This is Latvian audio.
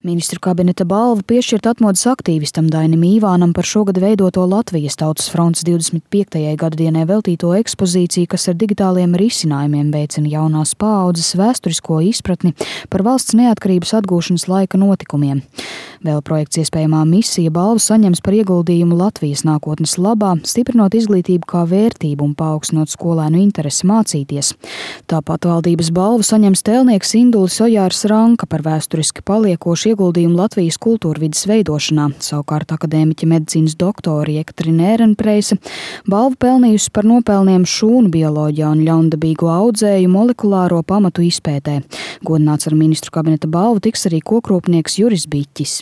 Ministru kabineta balva piešķirta atmodas aktīvistam Dainim Īvānam par šogad veidoto Latvijas Tautas frontes 25. gadadienai veltīto ekspozīciju, kas ar digitāliem risinājumiem veicina jaunās paaudzes vēsturisko izpratni par valsts neatkarības atgūšanas laika notikumiem. Vēl projekts Iespējamā misija balvu saņems par ieguldījumu Latvijas nākotnes labā, stiprinot izglītību kā vērtību un paaugstinot skolēnu interesi mācīties. Tāpat valdības balvu saņems tēlnieks Indulis Ojārs Ranka par vēsturiski paliekošu ieguldījumu Latvijas kultūrvides veidošanā. Savukārt akadēmiķe medicīnas doktori Jekaterina Ērenpreise balvu pelnījusi par nopelniem šūnu bioloģijā un ļaundabīgo audzēju molekulāro pamatu izpētē. Godināts ar ministru kabineta balvu tiks arī kokrūpnieks Juris Biķis.